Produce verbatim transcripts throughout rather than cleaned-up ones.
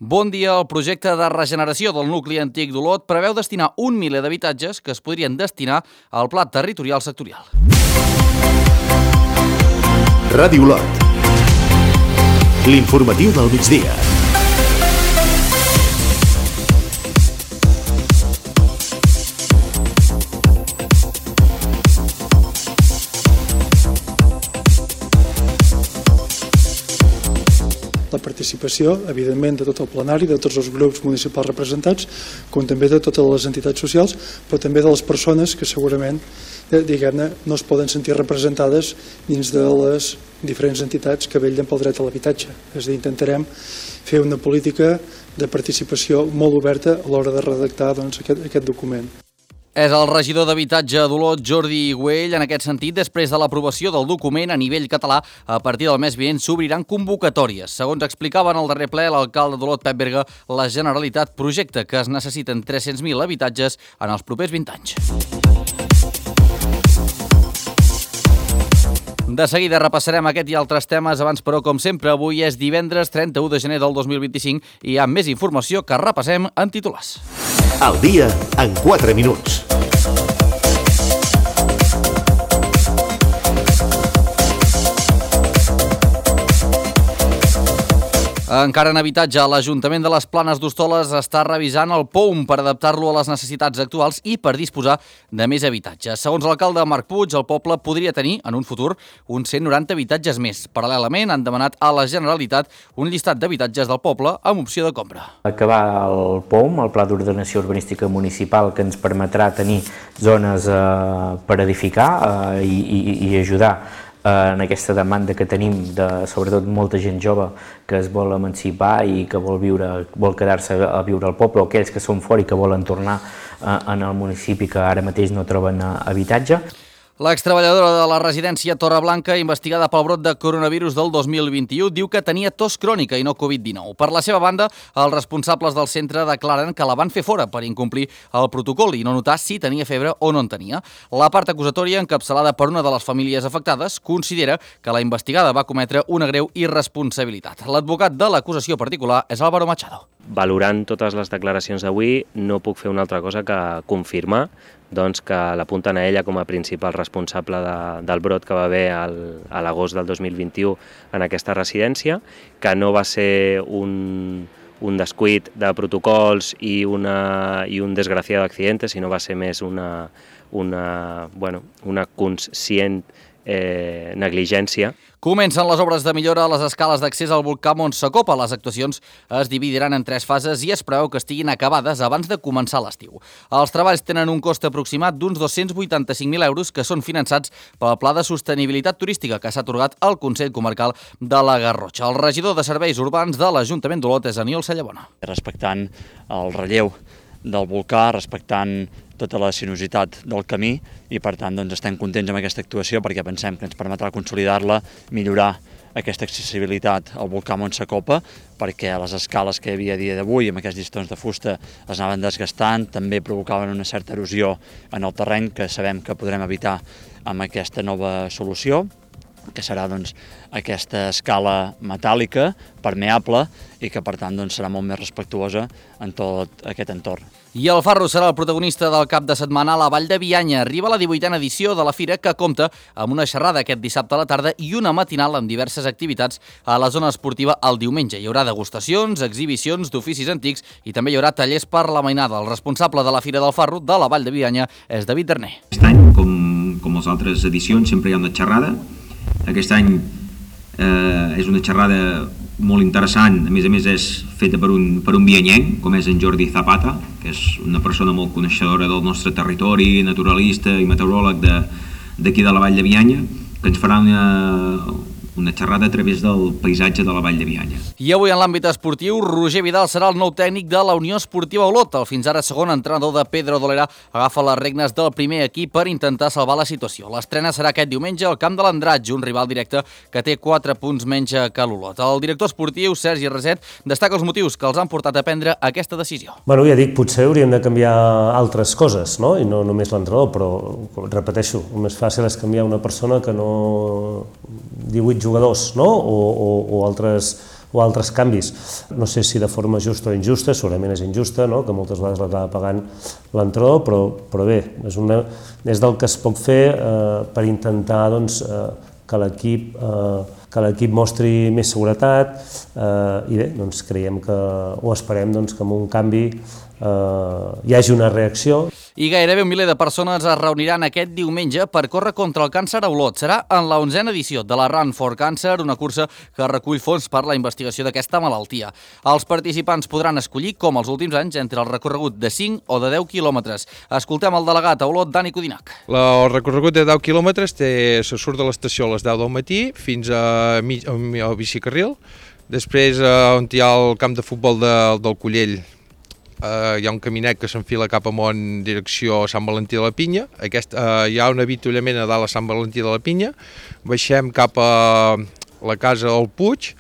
Bon dia. El projecte de regeneració del nucli antic d'Olot preveu destinar un miler d'habitatges que es podrien destinar al Pla Territorial Sectorial. Ràdio Olot. L'informatiu del migdia. La participació, evidentment, de tot el plenari, de tots els grups municipals representats, com també de totes les entitats socials, però també de les persones que segurament, diguem-ne, no es poden sentir representades dins de les diferents entitats que vetllen pel dret a l'habitatge. És a dir, intentarem fer una política de participació molt oberta a l'hora de redactar doncs, aquest, aquest document. És el regidor d'Habitatge d'Olot, Jordi Güell. En aquest sentit, després de l'aprovació del document a nivell català, a partir del mes vinent s'obriran convocatòries. Segons explicava en el darrer ple l'alcalde d'Olot, Pep Berga, la Generalitat projecta que es necessiten tres-cents mil habitatges en els propers vint anys. De seguida repassarem aquest i altres temes. Abans, però, com sempre, avui és divendres trenta-u de gener del dos mil vint-i-cinc i hi ha més informació que repassem en titulars. Al dia en quatre minuts. Encara en habitatge, l'Ajuntament de les Planes d'Hostoles està revisant el P O U M per adaptar-lo a les necessitats actuals i per disposar de més habitatges. Segons l'alcalde Marc Puig, el poble podria tenir, en un futur, uns cent noranta habitatges més. Paral·lelament, han demanat a la Generalitat un llistat d'habitatges del poble amb opció de compra. Acabar el P O U M, el Pla d'Ordenació Urbanística Municipal, que ens permetrà tenir zones eh, per edificar eh, i, i, i ajudar en aquesta demanda que tenim de, sobretot, molta gent jove que es vol emancipar i que vol viure, vol quedar-se a viure al poble, o aquells que són fora i que volen tornar en el municipi que ara mateix no troben habitatge. L'extreballadora de la residència Torreblanca, investigada pel brot de coronavirus del dos mil vint-i-u, diu que tenia tos crònica i no Covid dinou. Per la seva banda, els responsables del centre declaren que la van fer fora per incomplir el protocol i no notar si tenia febre o no en tenia. La part acusatòria, encapçalada per una de les famílies afectades, considera que la investigada va cometre una greu irresponsabilitat. L'advocat de l'acusació particular és Álvaro Machado. Valorant totes les declaracions d'avui, no puc fer una altra cosa que confirmar doncs, que l'apunten a ella com a principal responsable de, del brot que va haver al, a l'agost del dos mil vint-i-u en aquesta residència, que no va ser un, un descuit de protocols i, una, i un desgraciado accidente, sinó va ser més una, una, bueno, una conscient eh, negligència. Comencen les obres de millora a les escales d'accés al volcà Mont Sacopa. Les actuacions es dividiran en tres fases i es preveu que estiguin acabades abans de començar l'estiu. Els treballs tenen un cost aproximat d'uns dos-cents vuitanta-cinc mil euros que són finançats pel Pla de Sostenibilitat Turística que s'ha atorgat al Consell Comarcal de la Garrotxa. El regidor de Serveis Urbans de l'Ajuntament d'Olot és Aniol Sallabona. Respectant el relleu del volcà, respectant tota la sinuositat del camí i per tant doncs, estem contents amb aquesta actuació perquè pensem que ens permetrà consolidar-la, millorar aquesta accessibilitat al volcà Mont Sacopa perquè les escales que hi havia a dia d'avui amb aquests llistons de fusta es anaven desgastant, també provocaven una certa erosió en el terreny que sabem que podrem evitar amb aquesta nova solució, que serà doncs, aquesta escala metàl·lica, permeable, i que per tant doncs, serà molt més respectuosa en tot aquest entorn. I el Farro serà el protagonista del cap de setmana a la Vall de Bianya. Arriba la divuitena edició de la fira que compta amb una xerrada aquest dissabte a la tarda i una matinal amb diverses activitats a la zona esportiva el diumenge. Hi haurà degustacions, exhibicions d'oficis antics i també hi haurà tallers per la mainada. El responsable de la Fira del Farro de la Vall de Bianya és David Darner. Aquest any, com, com les altres edicions, sempre hi ha una xerrada. Aquest any eh, és una xerrada molt interessant, a més a més és feta per un, per un bianyenc, com és en Jordi Zapata, que és una persona molt coneixedora del nostre territori, naturalista i meteoròleg d'aquí de, de la Vall de Bianya, que ens farà una, una xerrada a través del paisatge de la Vall de Bianya. I avui en l'àmbit esportiu, Roger Vidal serà el nou tècnic de la Unió Esportiva Olot. El fins ara segon entrenador de Pedro Dolera agafa les regnes del primer equip per intentar salvar la situació. L'estrena serà aquest diumenge al camp de l'Andratx, un rival directe que té quatre punts menys que l'Olot. El director esportiu, Sergi Reset, destaca els motius que els han portat a prendre aquesta decisió. Bueno, ja dic, potser hauríem de canviar altres coses, no? I no només l'entrenador, però repeteixo, el més fàcil és canviar una persona que no divuit jugadors, no? O, o, o altres o altres canvis. No sé si de forma justa o injusta, segurament és injusta, no? Que moltes vegades l'acaba pagant l'entrenador, però, però bé, és, una, és del que es pot fer eh, per intentar doncs, eh, que l'equip eh, que l'equip mostri més seguretat eh, i bé, doncs creiem que, o esperem doncs, que amb un canvi eh, hi hagi una reacció. I gairebé un miler de persones es reuniran aquest diumenge per córrer contra el càncer a Olot. Serà en la onzena edició de la Run for Cancer, una cursa que recull fons per la investigació d'aquesta malaltia. Els participants podran escollir, com els últims anys, entre el recorregut de cinc o de deu quilòmetres. Escoltem el delegat a Olot, Dani Codinac. El recorregut de deu quilòmetres té, se surt de l'estació a les deu del matí fins a mig, al bicicarril. Després, on hi ha el camp de futbol de, del Collell, Uh, hi ha un caminet que s'enfila cap amunt en direcció a Sant Valentí de la Pinya. Aquest, uh, hi ha un avituallament a dalt a Sant Valentí de la Pinya. Baixem cap a la casa del Puig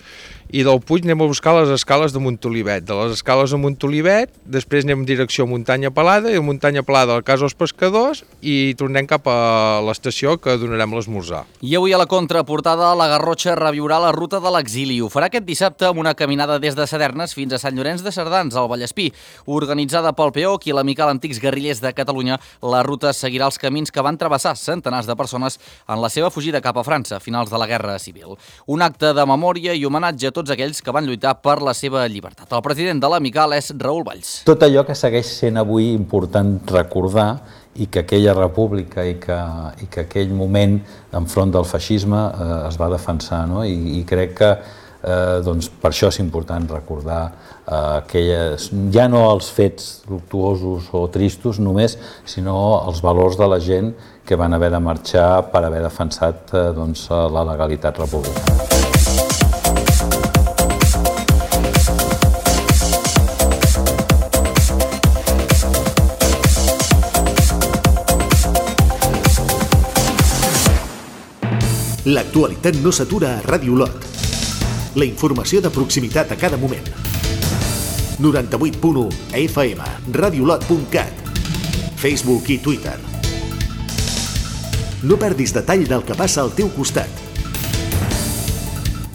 i del Puig anem a buscar les escales de Montolivet. De les escales de Montolivet, després anem en direcció a Muntanya Pelada i a Muntanya Pelada a la casa dels pescadors i tornem cap a l'estació que donarem l'esmorzar. I avui a la contraportada, la Garrotxa reviurà la ruta de l'exili. Ho farà aquest dissabte amb una caminada des de Sadernes fins a Sant Llorenç de Cerdans, al Vallespí. Organitzada pel P E O C i l'Amical Antics Guerrillers de Catalunya, la ruta seguirà els camins que van travessar centenars de persones en la seva fugida cap a França a finals de la Guerra Civil. Un acte de memòria i homenatge a tots aquells que van lluitar per la seva llibertat. El president de l'Amical és Raül Valls. Tot allò que segueix sent avui important recordar i que aquella república i que, i que aquell moment enfront del feixisme eh, es va defensar, no? I, i crec que eh, doncs per això és important recordar eh, aquelles, ja no els fets luctuosos o tristos només, sinó els valors de la gent que van haver de marxar per haver defensat eh, doncs, la legalitat republicana. L'actualitat no s'atura a Ràdio Olot. La informació de proximitat a cada moment. noranta-vuit punt u F M, radiolot punt cat, Facebook i Twitter. No perdis detall del que passa al teu costat.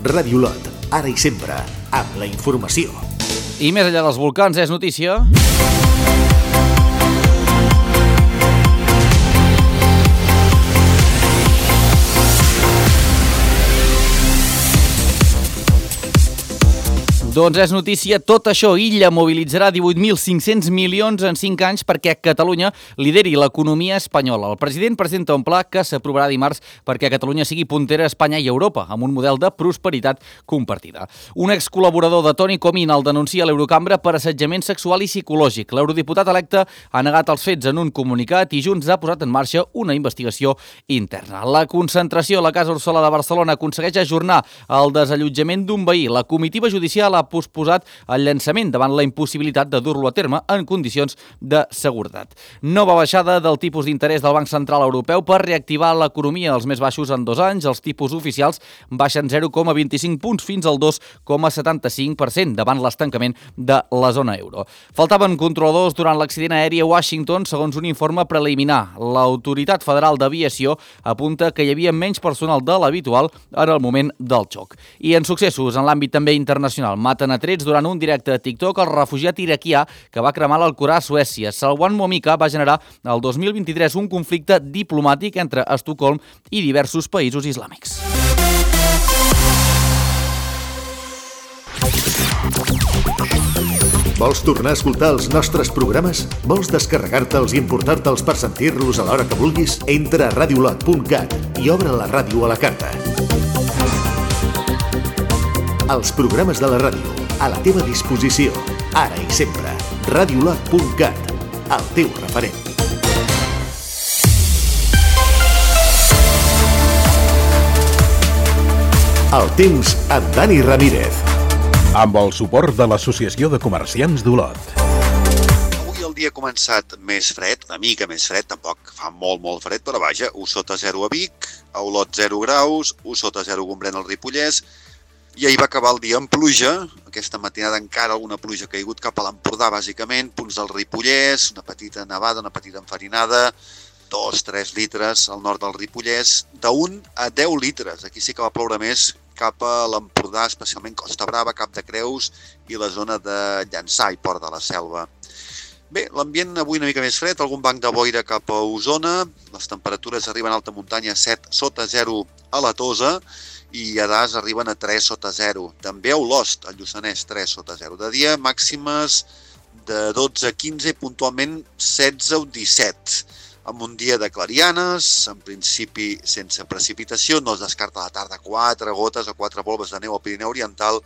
Ràdio Olot, ara i sempre, amb la informació. I més enllà dels volcans és notícia... Doncs és notícia tot això. Illa mobilitzarà divuit mil cinc-cents milions en cinc anys perquè Catalunya lideri l'economia espanyola. El president presenta un pla que s'aprovarà dimarts perquè Catalunya sigui puntera a Espanya i Europa, amb un model de prosperitat compartida. Un excol·laborador de Toni Comín el denuncia a l'Eurocambra per assetjament sexual i psicològic. L'eurodiputat electe ha negat els fets en un comunicat i Junts ha posat en marxa una investigació interna. La concentració a la Casa Orsola de Barcelona aconsegueix ajornar el desallotjament d'un veí. La comitiva judicial ha posposat el llançament davant la impossibilitat de dur-lo a terme en condicions de seguretat. Nova baixada del tipus d'interès del Banc Central Europeu per reactivar l'economia als més baixos en dos anys. Els tipus oficials baixen zero coma vint-i-cinc punts fins al dos coma setanta-cinc per cent davant l'estancament de la zona euro. Faltaven controladors durant l'accident aeri a Washington, segons un informe preliminar. L'Autoritat Federal d'Aviació apunta que hi havia menys personal de l'habitual en el moment del xoc. I en successos en l'àmbit també internacional, maten a trets durant un directe a TikTok el refugiat iraquià que va cremar l'Alcorà a Suècia. Salwan Momika va generar el dos mil vint-i-tres un conflicte diplomàtic entre Estocolm i diversos països islàmics. Vols tornar a escoltar els nostres programes? Vols descarregar-te'ls i emportar-te'ls per sentir-los a l'hora que vulguis? Entra a radiolot punt cat i obre la ràdio a la carta. Els programes de la ràdio, a la teva disposició, ara i sempre. radiolot punt cat, el teu referent. El temps amb Dani Ramírez. Amb el suport de l'Associació de Comerciants d'Olot. Avui el dia ha començat més fred, una mica més fred, tampoc fa molt, molt fred, però vaja, u sota zero a Vic, a Olot zero graus, u sota zero a Gombrèn al Ripollès, i ahir va acabar el dia amb pluja, aquesta matinada encara alguna pluja ha caigut cap a l'Empordà, bàsicament, punts del Ripollès, una petita nevada, una petita enfarinada, dos, tres litres al nord del Ripollès, d'un a deu litres. Aquí sí que va ploure més cap a l'Empordà, especialment Costa Brava, Cap de Creus i la zona de Llançà i Port de la Selva. Bé, l'ambient avui una mica més fred, algun banc de boira cap a Osona, les temperatures arriben a alta muntanya a set sota zero a la Tosa i a Das arriben a tres sota zero. També a Olost, al Lluçanès, tres sota zero. De dia, màximes de dotze a quinze i puntualment setze o disset. Amb un dia de clarianes, en principi sense precipitació, no es descarta a la tarda quatre gotes o quatre volves de neu al Pirineu Oriental,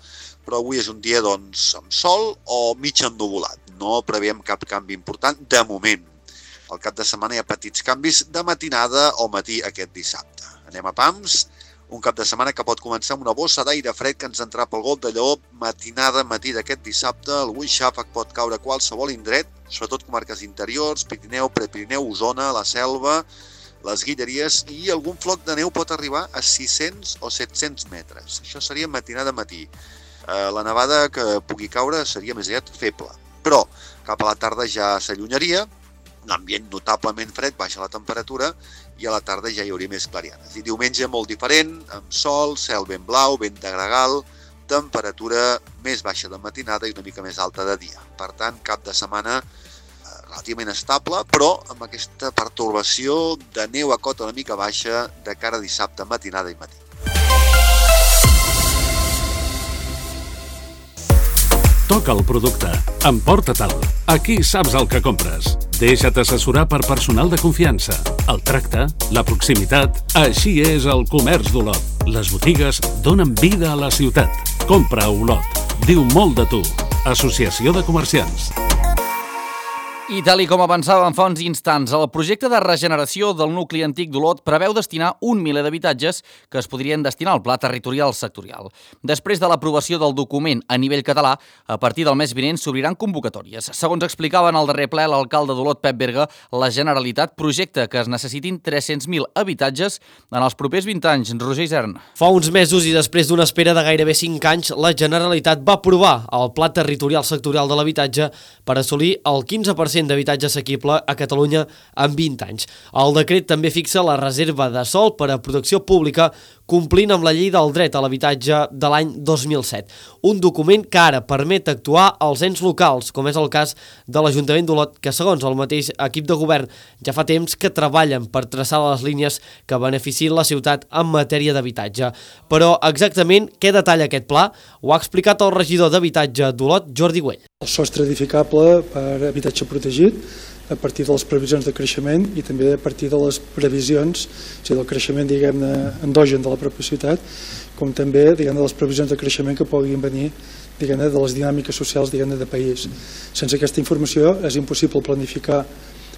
però avui és un dia doncs, amb sol o mig ennuvolat. No preveiem cap canvi important de moment. Al cap de setmana hi ha petits canvis de matinada o matí aquest dissabte. Anem a pams, un cap de setmana que pot començar amb una bossa d'aire fred que ens entrà pel Golf de Lleó, matinada, matí d'aquest dissabte, algun xàfec pot caure a qualsevol indret, sobretot comarques interiors, Pirineu, Prepirineu, Osona, la Selva, les Guilleries, i algun floc de neu pot arribar a sis-cents o set-cents metres. Això seria matinada matí. La nevada que pugui caure seria més aviat feble, però cap a la tarda ja s'allunyaria, l'ambient notablement fred, baixa la temperatura i a la tarda ja hi hauria més clarianes. I diumenge molt diferent, amb sol, cel ben blau, vent de gregal, temperatura més baixa de matinada i una mica més alta de dia. Per tant, cap de setmana relativament estable, però amb aquesta pertorbació de neu a cota una mica baixa de cara a dissabte, matinada i matí. Toca el producte. Emporta-te'l. Aquí saps el que compres. Deixa't assessorar per personal de confiança. El tracte, la proximitat, així és el comerç d'Olot. Les botigues donen vida a la ciutat. Compra a Olot. Diu molt de tu. Associació de Comerciants. I tal i com avançàvem fa uns instants, el projecte de regeneració del nucli antic d'Olot preveu destinar un miler d'habitatges que es podrien destinar al Pla Territorial Sectorial. Després de l'aprovació del document a nivell català, a partir del mes vinent s'obriran convocatòries. Segons explicava en el darrer ple l'alcalde d'Olot, Pep Berga, la Generalitat projecta que es necessitin tres-cents mil habitatges en els propers vint anys. Roger Isern. Fa uns mesos i després d'una espera de gairebé cinc anys, la Generalitat va aprovar el Pla Territorial Sectorial de l'Habitatge per assolir el quinze per cent d'habitatge assequible a Catalunya en vint anys. El decret també fixa la reserva de sòl per a protecció pública complint amb la llei del dret a l'habitatge de l'any dos mil set. Un document que ara permet actuar als ens locals, com és el cas de l'Ajuntament d'Olot, que segons el mateix equip de govern ja fa temps que treballen per traçar les línies que beneficien la ciutat en matèria d'habitatge. Però exactament què detalla aquest pla ho ha explicat el regidor d'Habitatge d'Olot, Jordi Güell. El sostre edificable per habitatge protegit a partir de les previsions de creixement i també a partir de les previsions, o sigui, del creixement, diguem-ne, endogen de la pròpia ciutat, com també, diguem-ne, de les previsions de creixement que puguin venir, diguem-ne, de les dinàmiques socials, diguem-ne, de país. Sense aquesta informació és impossible planificar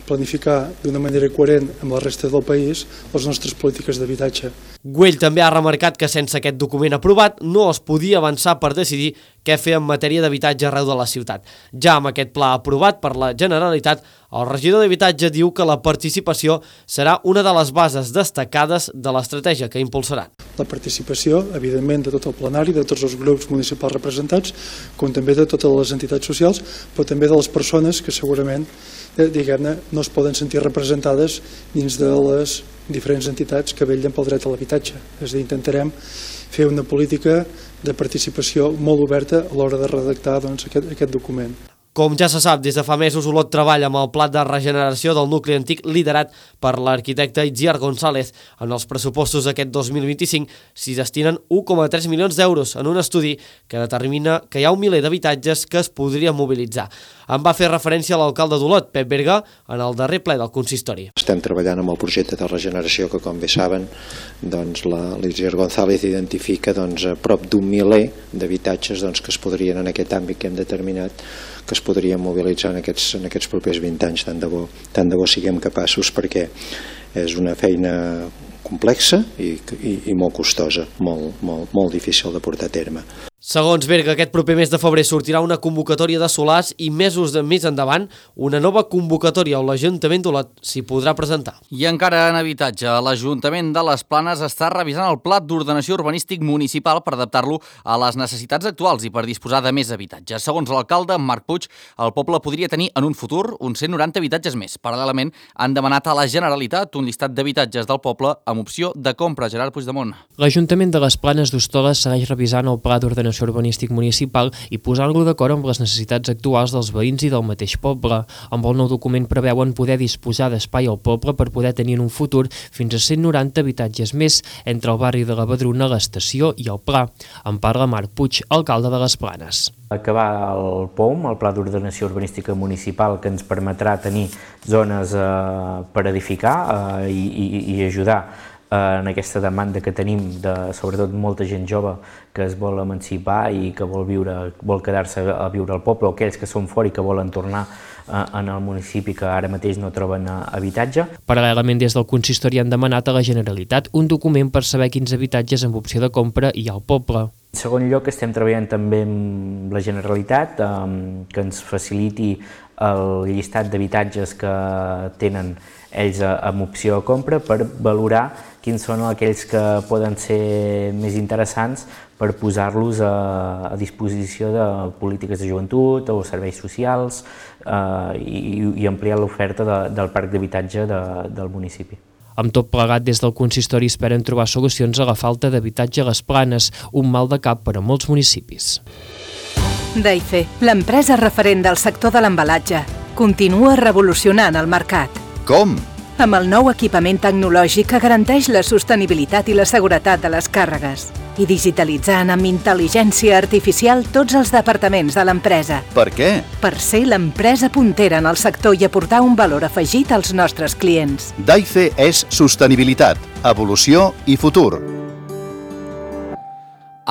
planificar d'una manera coherent amb la resta del país les nostres polítiques d'habitatge. Güell també ha remarcat que sense aquest document aprovat no es podia avançar per decidir què fer en matèria d'habitatge arreu de la ciutat. Ja amb aquest pla aprovat per la Generalitat, el regidor d'Habitatge diu que la participació serà una de les bases destacades de l'estratègia que impulsaran. La participació, evidentment, de tot el plenari, de tots els grups municipals representats, com també de totes les entitats socials, però també de les persones que segurament diguem-ne, no es poden sentir representades dins de les diferents entitats que vetllen pel dret a l'habitatge. És a dir, intentarem fer una política de participació molt oberta a l'hora de redactar doncs, aquest, aquest document. Com ja se sap, des de fa mesos Olot treballa amb el pla de regeneració del nucli antic liderat per l'arquitecte Itziar González. En els pressupostos d'aquest dos mil vint-i-cinc s'hi destinen un coma tres milions d'euros en un estudi que determina que hi ha un miler d'habitatges que es podrien mobilitzar. En va fer referència a l'alcalde d'Olot, Pep Berga, en el darrer ple del consistori. Estem treballant amb el projecte de regeneració que, com bé saben, doncs, l'Itziar González identifica doncs, a prop d'un miler d'habitatges doncs, que es podrien en aquest àmbit que hem determinat que es podrien mobilitzar en aquests, en aquests propers vint anys, tant de bo, tant de bo siguem capaços, perquè és una feina complexa i, i, i molt costosa, molt, molt, molt difícil de portar a terme. Segons Berga, aquest proper mes de febrer sortirà una convocatòria de solars i mesos de més endavant una nova convocatòria on l'Ajuntament d'Olot s'hi podrà presentar. I encara en habitatge, l'Ajuntament de les Planes està revisant el Pla d'Ordenació Urbanístic Municipal per adaptar-lo a les necessitats actuals i per disposar de més habitatges. Segons l'alcalde Marc Puig, el poble podria tenir en un futur uns cent noranta habitatges més. Paral·lelament, han demanat a la Generalitat un llistat d'habitatges del poble amb opció de compra. Gerard Puigdemont. L'Ajuntament de les Planes d'Hostoles segueix revisant el Pla d'Ordenació urbanístic municipal i posant-lo d'acord amb les necessitats actuals dels veïns i del mateix poble. Amb el nou document preveuen poder disposar d'espai al poble per poder tenir en un futur fins a cent noranta habitatges més entre el barri de la Badruna, l'Estació i el Pla. En parla Marc Puig, alcalde de les Planes. Acabar el P O M, el Pla d'Ordenació Urbanística Municipal, que ens permetrà tenir zones eh, per edificar eh, i, i, i ajudar en aquesta demanda que tenim de, sobretot, molta gent jove que es vol emancipar i que vol viure, vol quedar-se a viure al poble, o aquells que són fora i que volen tornar en el municipi que ara mateix no troben habitatge. Paral·lelament, des del consistori han demanat a la Generalitat un document per saber quins habitatges amb opció de compra hi ha al poble. En segon lloc, estem treballant també amb la Generalitat eh, que ens faciliti el llistat d'habitatges que tenen ells amb opció de compra per valorar quins són aquells que poden ser més interessants per posar-los a, a disposició de polítiques de joventut o serveis socials eh, i, i ampliar l'oferta de, del parc d'habitatge de, del municipi. Amb tot plegat, des del consistori esperen trobar solucions a la falta d'habitatge a les Planes, un mal de cap per a molts municipis. Daife, l'empresa referent del sector de l'embalatge, continua revolucionant el mercat. Com? Amb el nou equipament tecnològic que garanteix la sostenibilitat i la seguretat de les càrregues i digitalitzant amb intel·ligència artificial tots els departaments de l'empresa. Per què? Per ser l'empresa puntera en el sector i aportar un valor afegit als nostres clients. Daife és sostenibilitat, evolució i futur.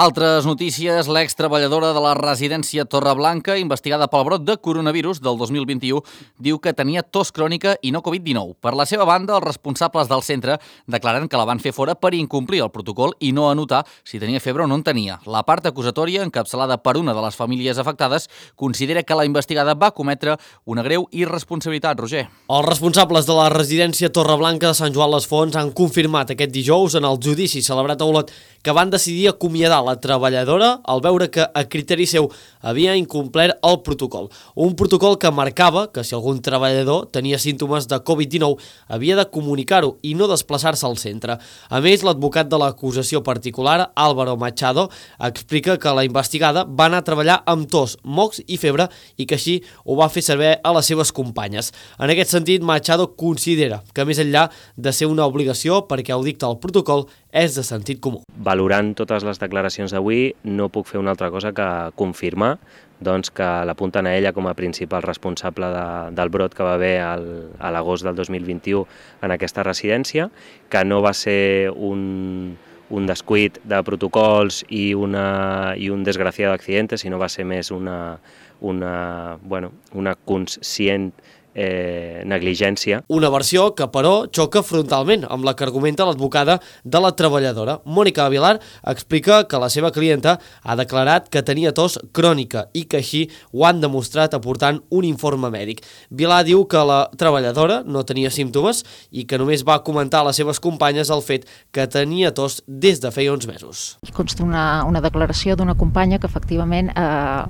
Altres notícies, l'extreballadora de la residència Torreblanca, investigada pel brot de coronavirus del dos mil vint-i-u, diu que tenia tos crònica i no Covid dinou. Per la seva banda, els responsables del centre declaren que la van fer fora per incomplir el protocol i no anotar si tenia febre o no en tenia. La part acusatòria, encapçalada per una de les famílies afectades, considera que la investigada va cometre una greu irresponsabilitat. Roger. Els responsables de la residència Torreblanca de Sant Joan les Fonts han confirmat aquest dijous en el judici celebrat a Olot que van decidir acomiadar la treballadora al veure que, a criteri seu, havia incomplert el protocol. Un protocol que marcava que si algun treballador tenia símptomes de Covid dinou havia de comunicar-ho i no desplaçar-se al centre. A més, l'advocat de l'acusació particular, Álvaro Machado, explica que la investigada va anar a treballar amb tos, mocs i febre i que així ho va fer saber a les seves companyes. En aquest sentit, Machado considera que, més enllà de ser una obligació perquè ho dicta el protocol, és de sentit comú. Valorant totes les declaracions d'avui, no puc fer una altra cosa que confirmar doncs, que l'apunten a ella com a principal responsable de, del brot que va haver al, a l'agost del dos mil vint-i-u en aquesta residència, que no va ser un, un descuit de protocols i, una, i un desgraciado accidente, sinó va ser més una, una, bueno, una conscient Eh, negligència. Una versió que, però, xoca frontalment amb la que argumenta l'advocada de la treballadora. Mònica Avilar explica que la seva clienta ha declarat que tenia tos crònica i que així ho han demostrat aportant un informe mèdic. Vilar diu que la treballadora no tenia símptomes i que només va comentar a les seves companyes el fet que tenia tos des de feia uns mesos. Consta una, una declaració d'una companya que efectivament eh,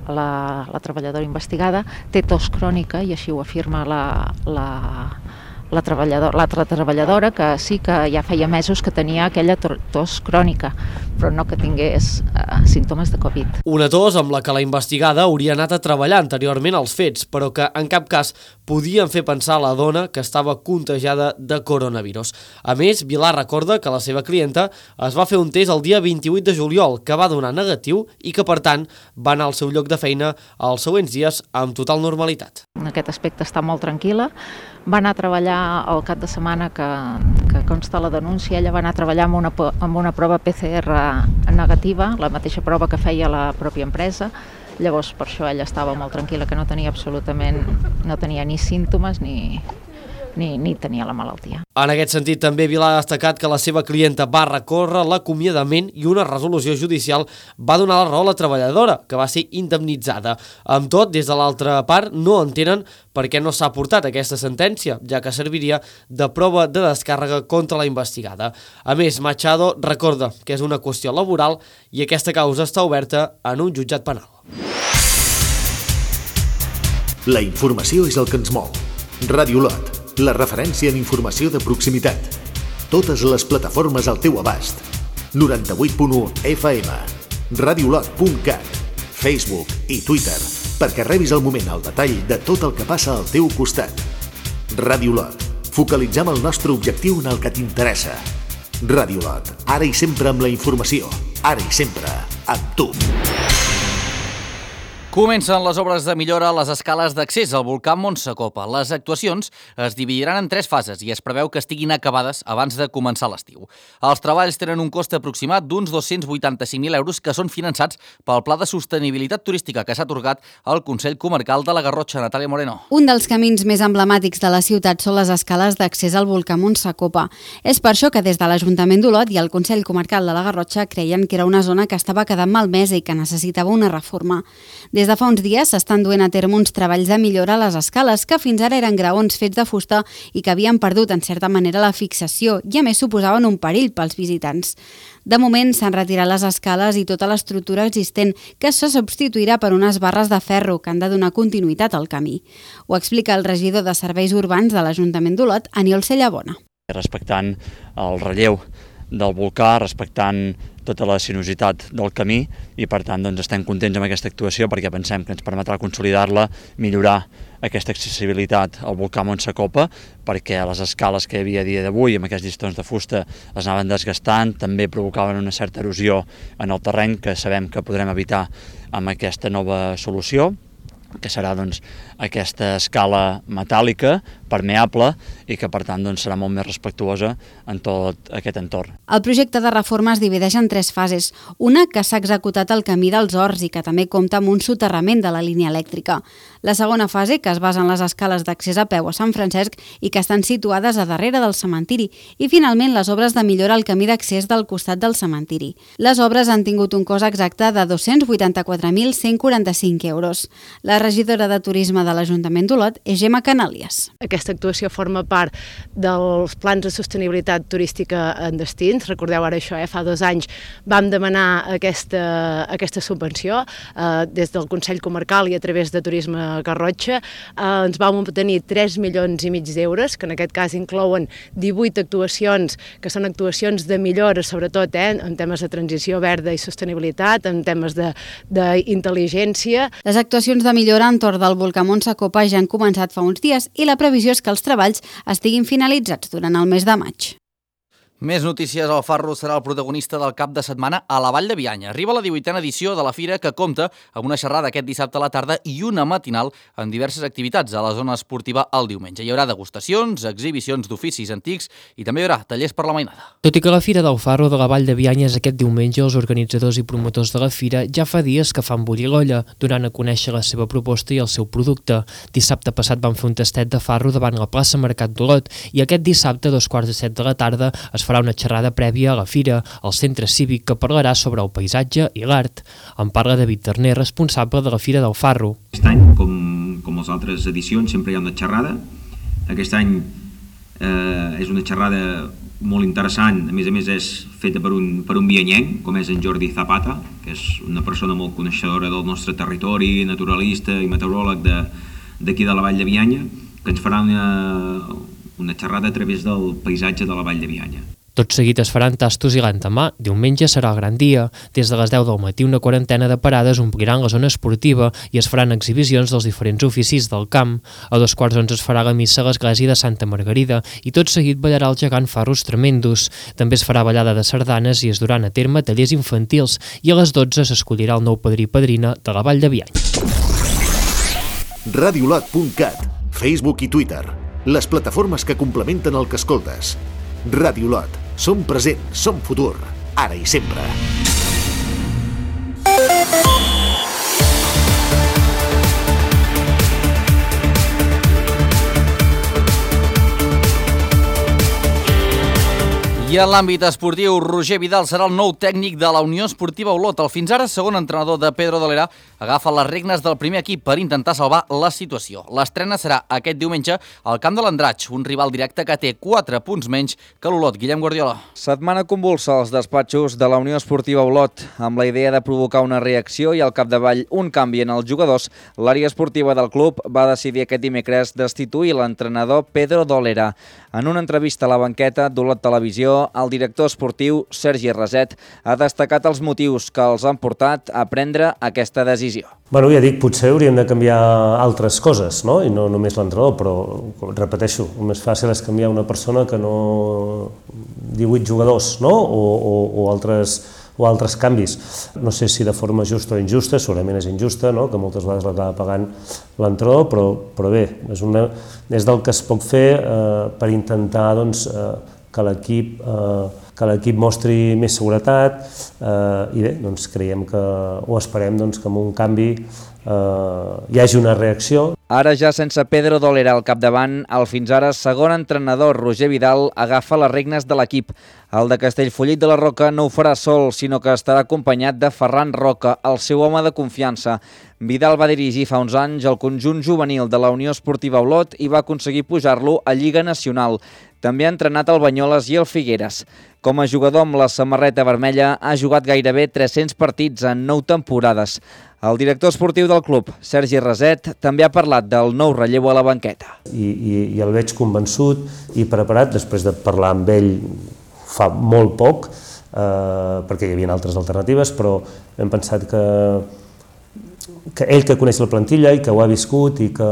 la, la treballadora investigada té tos crònica i així ho afirma la, la, la treballadora, l'altra treballadora, que sí que ja feia mesos que tenia aquella tos crònica, però no que tingués eh, símptomes de Covid. Una tos amb la que la investigada hauria anat a treballar anteriorment als fets, però que en cap cas podien fer pensar a la dona que estava contagiada de coronavirus. A més, Vilar recorda que la seva clienta es va fer un test el dia vint-i-vuit de juliol, que va donar negatiu i que, per tant, va anar al seu lloc de feina els següents dies amb total normalitat. En aquest aspecte està molt tranquil·la. Va anar a treballar el cap de setmana que, que consta la denúncia, ella va anar a treballar amb una, amb una prova P C R negativa, la mateixa prova que feia la pròpia empresa. Llavors, per això ella estava molt tranquil·la, que no tenia absolutament, no tenia ni símptomes ni, ni, ni tenia la malaltia. En aquest sentit, també Vilà ha destacat que la seva clienta va recórrer l'acomiadament i una resolució judicial va donar la raó a la treballadora, que va ser indemnitzada. Amb tot, des de l'altra part, no entenen per què no s'ha portat aquesta sentència, ja que serviria de prova de descàrrega contra la investigada. A més, Machado recorda que és una qüestió laboral i aquesta causa està oberta en un jutjat penal. La informació és el que ens mou. Ràdio Lot, la referència en informació de proximitat. Totes les plataformes al teu abast. noranta-vuit punt u F M, radiolot punt cat, Facebook i Twitter, perquè rebis al moment el detall de tot el que passa al teu costat. Ràdio Lot, focalitzem el nostre objectiu en el que t'interessa. Ràdio Lot, ara i sempre amb la informació, ara i sempre amb tu. Comencen les obres de millora a les escales d'accés al volcà Montsacopa. Les actuacions es dividiran en tres fases i es preveu que estiguin acabades abans de començar l'estiu. Els treballs tenen un cost aproximat d'uns dos-cents vuitanta-cinc mil euros que són finançats pel Pla de Sostenibilitat Turística que s'ha atorgat al Consell Comarcal de la Garrotxa. Natàlia Moreno. Un dels camins més emblemàtics de la ciutat són les escales d'accés al volcà Montsacopa. És per això que des de l'Ajuntament d'Olot i el Consell Comarcal de la Garrotxa creien que era una zona que estava quedant malmesa i que necessitava una reforma. Des de fa uns dies s'estan duent a terme uns treballs de millora a les escales que fins ara eren graons fets de fusta i que havien perdut en certa manera la fixació i a més suposaven un perill pels visitants. De moment s'han retirat les escales i tota l'estructura existent que se substituirà per unes barres de ferro que han de donar continuïtat al camí. Ho explica el regidor de Serveis Urbans de l'Ajuntament d'Olot, Aniol Cellabona. Respectant el relleu del volcà, respectant tota la sinuositat del camí i per tant doncs, estem contents amb aquesta actuació perquè pensem que ens permetrà consolidar-la, millorar aquesta accessibilitat al volcà Montsacopa perquè les escales que hi havia a dia d'avui amb aquests llistons de fusta es anaven desgastant, també provocaven una certa erosió en el terreny que sabem que podrem evitar amb aquesta nova solució, que serà doncs, aquesta escala metàl·lica, permeable, i que per tant doncs, serà molt més respectuosa en tot aquest entorn. El projecte de reforma es divideix en tres fases. Una que s'ha executat al camí dels Horts i que també compta amb un soterrament de la línia elèctrica. La segona fase, que es basa en les escales d'accés a peu a Sant Francesc i que estan situades a darrere del cementiri. I finalment les obres de millora al camí d'accés del costat del cementiri. Les obres han tingut un cost exacte de dos-cents vuitanta-quatre mil cent quaranta-cinc euros. La regidora de Turisme de l'Ajuntament d'Olot és Gemma Canàlies. Aquesta actuació forma part dels plans de sostenibilitat turística en destins. Recordeu ara això, eh? Fa dos anys vam demanar aquesta, aquesta subvenció eh, des del Consell Comarcal i a través de Turisme Garrotxa. Eh, ens vam obtenir tres milions i mig d'euros, que en aquest cas inclouen divuit actuacions, que són actuacions de millora, sobretot eh, en temes de transició verda i sostenibilitat, en temes d'intel·ligència. Les actuacions de millora entorn del volcà Montsacopa ja han començat fa uns dies i la previsió és que els treballs estiguin finalitzats durant el mes de maig. Més notícies, el Farro serà el protagonista del cap de setmana a la Vall de Bianya. Arriba la divuitena edició de la fira que compta amb una xerrada aquest dissabte a la tarda i una matinal amb diverses activitats a la zona esportiva el diumenge. Hi haurà degustacions, exhibicions d'oficis antics i també hi haurà tallers per la mainada. Tot i que la Fira del Farro de la Vall de Bianya és aquest diumenge, els organitzadors i promotors de la fira ja fa dies que fan bullir l'olla, donant a conèixer la seva proposta i el seu producte. Dissabte passat van fer un tastet de farro davant la plaça Mercat d'Olot i aquest dissabte, a dos quarts de set de la tarda, es farà una xerrada prèvia a la fira, al centre cívic, que parlarà sobre el paisatge i l'art. En parla David Terner, responsable de la Fira del Farro. Aquest any, com, com les altres edicions, sempre hi ha una xerrada. Aquest any eh, és una xerrada molt interessant, a més a més és feta per un, per un bianyenc, com és en Jordi Zapata, que és una persona molt coneixedora del nostre territori, naturalista i meteoròleg d'aquí de, de la Vall de Bianya, que ens farà una, una xerrada a través del paisatge de la Vall de Bianya. Tot seguit es faran tastos i l'endemà. Diumenge serà el gran dia. Des de les deu del matí una quarantena de parades ompliran la zona esportiva i es faran exhibicions dels diferents oficis del camp. A dos quarts d'onze es farà la missa a l'església de Santa Margarida i tot seguit ballarà el gegant Farros Tremendos. També es farà ballada de sardanes i es duran a terme tallers infantils i a les dotze s'escollirà el nou padrí i padrina de la Vall de Bianya. radiolot punt cat, Facebook i Twitter, les plataformes que complementen el que escoltes. Ràdio Lot. Som present, som futur, ara i sempre. I en l'àmbit esportiu, Roger Vidal serà el nou tècnic de la Unió Esportiva Olot. El fins ara segon entrenador de Pedro Dolera agafa les regnes del primer equip per intentar salvar la situació. L'estrena serà aquest diumenge al camp de l'Andratx, un rival directe que té quatre punts menys que l'Olot. Guillem Guardiola. Setmana convulsa als despatxos de la Unió Esportiva Olot. Amb la idea de provocar una reacció i al capdavall un canvi en els jugadors, l'àrea esportiva del club va decidir aquest dimecres destituir l'entrenador Pedro Dolera. En una entrevista a la banqueta d'Olot Televisió, el director esportiu, Sergi Raset, ha destacat els motius que els han portat a prendre aquesta decisió. Bueno, ja dic, potser hauríem de canviar altres coses, no? I no només l'entrenador, però repeteixo, el més fàcil és canviar una persona que no divuit jugadors, no? O, o, o altres o altres canvis. No sé si de forma justa o injusta, segurament és injusta, no? Que moltes vegades l'acaba pagant l'entrenador, però, però bé, és, una, és del que es pot fer eh, per intentar doncs, eh, que l'equip eh, que l'equip mostri més seguretat eh, i bé, doncs creiem que, o esperem doncs, que amb un canvi eh, hi hagi una reacció. Ara ja sense Pedro Dolera al capdavant, el fins ara segon entrenador Roger Vidal agafa les regnes de l'equip. El de Castellfollit de la Roca no ho farà sol, sinó que estarà acompanyat de Ferran Roca, el seu home de confiança. Vidal va dirigir fa uns anys el conjunt juvenil de la Unió Esportiva Olot i va aconseguir pujar-lo a Lliga Nacional. També ha entrenat el Banyoles i el Figueres. Com a jugador amb la samarreta vermella ha jugat gairebé tres-cents partits en nou temporades. El director esportiu del club, Sergi Raset, també ha parlat del nou relleu a la banqueta. I, i, i el veig convençut i preparat, després de parlar amb ell fa molt poc, eh, perquè hi havia altres alternatives, però hem pensat que, que ell que coneix la plantilla i que ho ha viscut i que,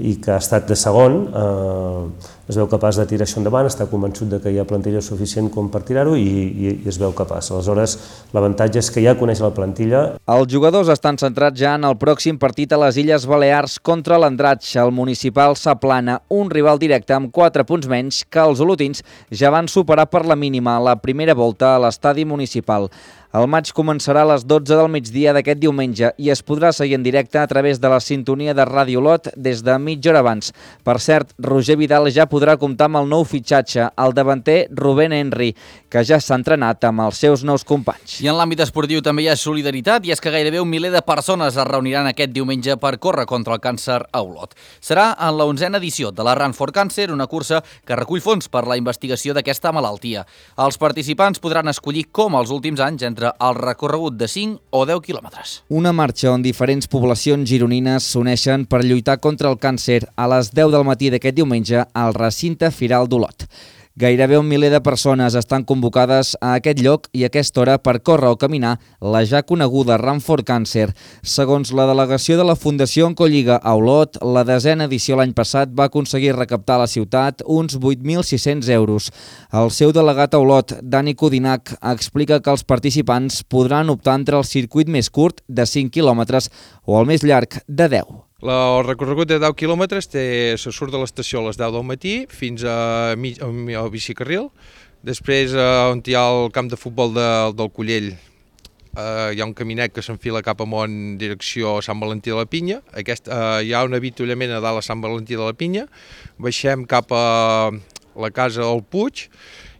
i que ha estat de segon, eh, es veu capaç de tirar això endavant, està convençut de que hi ha plantilla suficient com per tirar-ho i, i, i es veu capaç. Aleshores, l'avantatge és que ja coneix la plantilla. Els jugadors estan centrats ja en el pròxim partit a les Illes Balears contra l'Andratx, el municipal Saplana, un rival directe amb quatre punts menys que els olotins ja van superar per la mínima la primera volta a l'estadi municipal. El maig començarà a les dotze del migdia d'aquest diumenge i es podrà seguir en directe a través de la sintonia de Ràdio Olot des de mitja hora abans. Per cert, Roger Vidal ja podrà comptar amb el nou fitxatge, el davanter Rubén Henry, que ja s'ha entrenat amb els seus nous companys. I en l'àmbit esportiu també hi ha solidaritat i és que gairebé un miler de persones es reuniran aquest diumenge per córrer contra el càncer a Olot. Serà en la onzena edició de la Run for Cancer, una cursa que recull fons per la investigació d'aquesta malaltia. Els participants podran escollir, com els últims anys, entre el recorregut de cinc o deu quilòmetres. Una marxa on diferents poblacions gironines s'uneixen per lluitar contra el càncer a les deu del matí d'aquest diumenge al recinte Firal d'Olot. Gairebé un miler de persones estan convocades a aquest lloc i a aquesta hora per córrer o caminar la ja coneguda Run for Cancer. Segons la delegació de la Fundació Oncolliga a Olot, la desena edició l'any passat va aconseguir recaptar a la ciutat uns vuit mil sis-cents euros. El seu delegat a Olot, Dani Codinac, explica que els participants podran optar entre el circuit més curt de cinc quilòmetres o el més llarg de deu. El recorregut de deu quilòmetres té, se surt de l'estació a les deu del matí fins a mig, al bicicarril. Després, on hi ha el camp de futbol de, del Collell, eh, hi ha un caminet que s'enfila cap amunt direcció a Sant Valentí de la Pinya. Aquest, eh, hi ha un avituallament a dalt a Sant Valentí de la Pinya. Baixem cap a la casa del Puig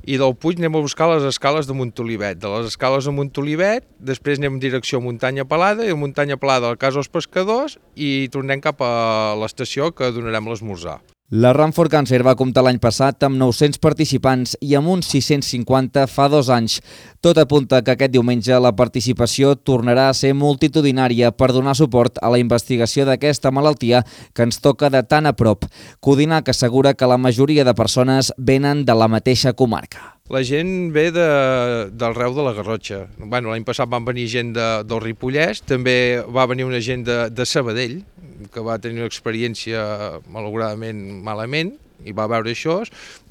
i del Puig anem a buscar les escales de Montolivet. De les escales de Montolivet, després anem en direcció a Muntanya Pelada i a Muntanya Pelada a la casa dels pescadors i tornem cap a l'estació que donarem l'esmorzar. La Run for Cancer va comptar l'any passat amb nou-cents participants i amb uns sis-cents cinquanta fa dos anys. Tot apunta que aquest diumenge la participació tornarà a ser multitudinària per donar suport a la investigació d'aquesta malaltia que ens toca de tan a prop. Codinac assegura que la majoria de persones venen de la mateixa comarca. La gent ve de, del Reu de la Garrotxa. Bueno, l'any passat van venir gent de, del Ripollès, també va venir una gent de, de Sabadell, que va tenir una experiència malauradament malament i va veure això,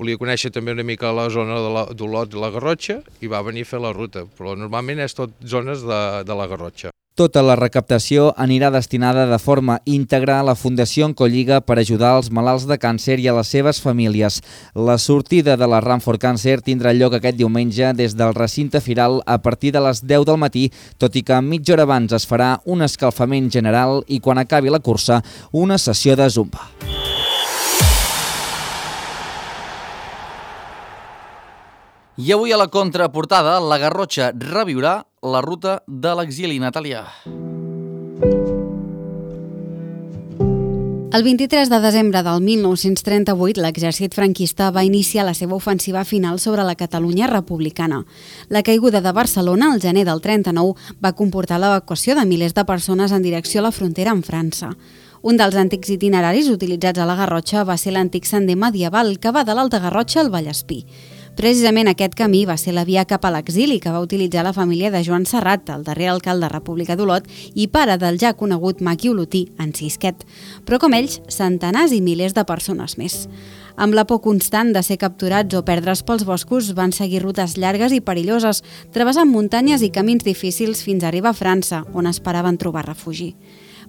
volia conèixer també una mica la zona d'Olot de la Garrotxa i va venir a fer la ruta, però normalment és tot zones de, de la Garrotxa. Tota la recaptació anirà destinada de forma íntegra a la Fundació Oncolliga per ajudar els malalts de càncer i a les seves famílies. La sortida de la Run for Cancer tindrà lloc aquest diumenge des del recinte Firal a partir de les deu del matí, tot i que mitja hora abans es farà un escalfament general i quan acabi la cursa una sessió de zumba. I avui a la contraportada, la Garrotxa reviurà la ruta de l'exili, Natàlia. El vint-i-tres de desembre del mil nou-cents trenta-vuit, l'exèrcit franquista va iniciar la seva ofensiva final sobre la Catalunya republicana. La caiguda de Barcelona, al gener del trenta-nou, va comportar l'evacuació de milers de persones en direcció a la frontera amb França. Un dels antics itineraris utilitzats a la Garrotxa va ser l'antic sender medieval que va de l'Alta Garrotxa al Vallespí. Precisament aquest camí va ser la via cap a l'exili que va utilitzar la família de Joan Serrat, el darrer alcalde República d'Olot i pare del ja conegut maqui olotí, en Sisquet. Però com ells, centenars i milers de persones més. Amb la por constant de ser capturats o perdre's pels boscos, van seguir rutes llargues i perilloses, travessant muntanyes i camins difícils fins a arribar a França, on esperaven trobar refugi.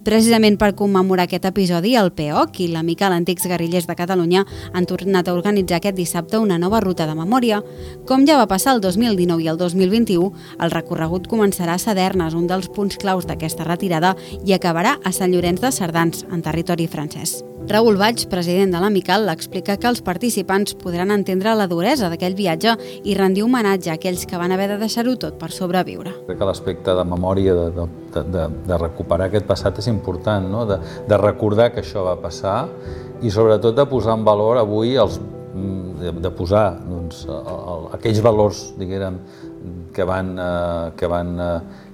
Precisament per commemorar aquest episodi, el P O C i l'Amical Antics Guerrillers de Catalunya han tornat a organitzar aquest dissabte una nova ruta de memòria. Com ja va passar el dos mil dinou i el dos mil vint-i-u, el recorregut començarà a Sadernes, un dels punts claus d'aquesta retirada, i acabarà a Sant Llorenç de Cerdans, en territori francès. Raül Baig, president de l'Amical, explica que els participants podran entendre la duresa d'aquell viatge i rendir homenatge a aquells que van haver de deixar-ho tot per sobreviure. Crec que l'aspecte de memòria, de, de, de, de recuperar aquest passat és important, no? de, de recordar que això va passar i sobretot de posar en valor avui, els, de, de posar doncs, el, el, aquells valors, diguem, que van, eh, que van eh,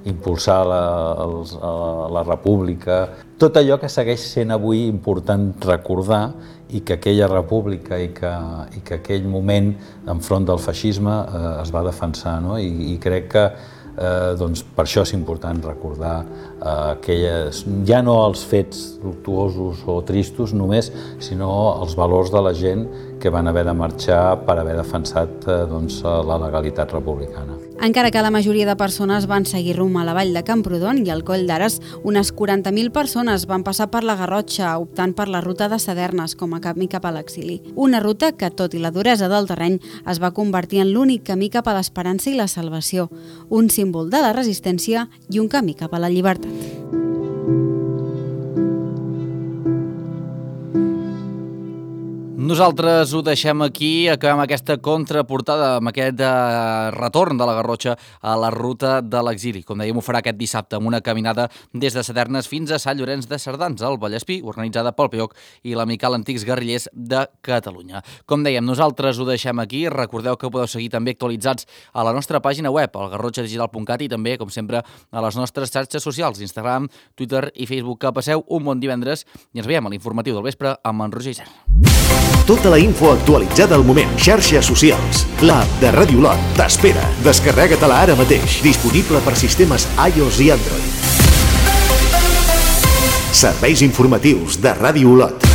impulsar la, els, la República, tot allò que segueix sent avui important recordar i que aquella república i que, i que aquell moment enfront del feixisme eh, es va defensar, no? I, i crec que eh, doncs, per això és important recordar eh, aquelles, ja no els fets luctuosos o tristos només, sinó els valors de la gent que van haver de marxar per haver defensat eh, doncs, la legalitat republicana. Encara que la majoria de persones van seguir rumb a la vall de Camprodon i al Coll d'Ares, unes quaranta mil persones van passar per la Garrotxa, optant per la ruta de Sadernes com a camí cap a l'exili. Una ruta que, tot i la duresa del terreny, es va convertir en l'únic camí cap a l'esperança i la salvació, un símbol de la resistència i un camí cap a la llibertat. Nosaltres ho deixem aquí, acabem aquesta contraportada amb aquest eh, retorn de la Garrotxa a la ruta de l'exili. Com dèiem, ho farà aquest dissabte amb una caminada des de Sadernes fins a Sant Llorenç de Cerdans, al Vallespí, organitzada pel P O C i l'Amical Antics Guerrillers de Catalunya. Com dèiem, nosaltres ho deixem aquí. Recordeu que podeu seguir també actualitzats a la nostra pàgina web, al garrotxa digital punt cat, i també, com sempre, a les nostres xarxes socials, Instagram, Twitter i Facebook. Que passeu un bon divendres i ens veiem a l'informatiu del vespre amb en Roger Isern. Tota la info actualitzada al moment. Xarxes socials. L'app de Ràdio Olot t'espera. Descarrega-te-la ara mateix. Disponible per sistemes iOS i Android. Serveis informatius de Ràdio Olot.